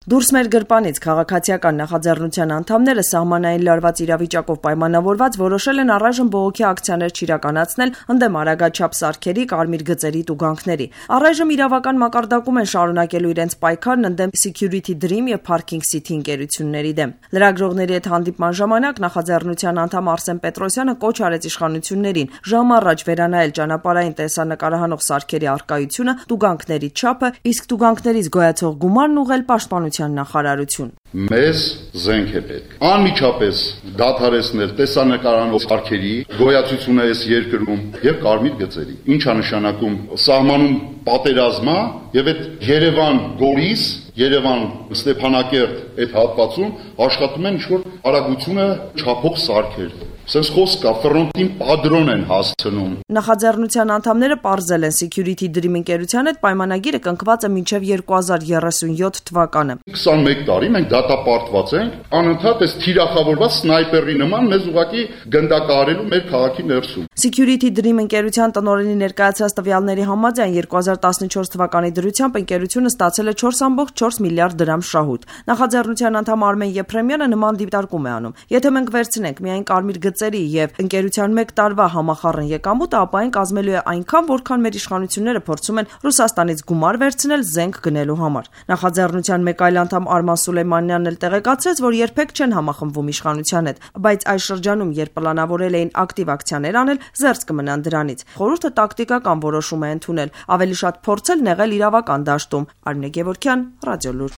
Դուրս մեր գրպանից քաղաքացիական նախաձեռնության անդամները սահմանային լարված իրավիճակով պայմանավորված որոշել են առայժմ բողոքի ակցիաներ չիրականացնել ընդդեմ արագաչափ սարքերի, կարմիր գծերի տուգանքների։ Առայժմ իրավական մակարդակում են շարունակելու իրենց պայքարն ընդդեմ Security Dream եւ Parking City ընկերությունների դեմ։ Լրագրողների հետ հանդիպման ժամանակ նախաձեռնության անդամ Արսեն Պետրոսյանը կոչ արեց իշխանություններին ժամ առաջ վերանայել ճանապարհային տեսանկարահանող սարքերի առկայությունը, տուգանքների չափը, իսկ տուգանքներից գոյացող գումարն ուղղել պաշտպանության նախարարություն։ Մեզ զենք է պետք։ Անմիջապես դադարեցնել տեսանկարահանող սարքերի գոյացությունը այս երկրում եւ կարմիր գծերի։ Ինչա նշանակում սահմանում պատերազմա եւ այդ Երևան-Գորիս, Երևան-Ստեփանակերտ այդ հատվածում աշխատում են ինչ-որ արագությունը չափող սարքեր։ Սենց խոսք կա, ֆրոնտին падրոն են հասցնում։ Նախաձեռնության անդամները պարզել են Security Dream ընկերության հետ պայմանագիրը կնքված է մինչև 2037 թվականը։ 21 տարի մենք դատապարտված ենք, անընդհատ այս թիրախավորված սնայպերի նման մեզ ուղղակի գնդակահարելու մեր քաղաքի ներսում։ Security Dream ընկերության տնօրենի ներկայացրած տվյալների համաձայն 2014 թվականի դրությամբ ընկերությունը ստացել է 4.4 միլիարդ դրամ շահույթ։ Նախաձեռնության անդամ Արմեն Եփրեմյանը նման դիտարկում է անում։ Եթե մենք վերցնենք միայն կարմիր գծերի եւ ընկերության 1 տարվա համախառն եկամուտը, ապա այն կազմելու է այնքան, որքան մեր իշխանությունները փորձում են Ռուսաստանից գումար վերցնել զենք գնելու համար։ Նախաձեռնության մեկ այլ անդամ Արման Սուլեյմանյանն էլ տեղեկացրեց, որ երբեք չեն համախմբվում իշխանության հետ, բայց այս շրջանում, երբ պլանավորել էին ակտիվ ակցիաներ անել, զերծ կմնան դրանից։ Խորհուրդը տակտիկական որոշում է ընդունել, ավելի շատ փորձել նեղել իրավական դաշտում։ Արմինե Գևորգյան, Ռադիոլուր։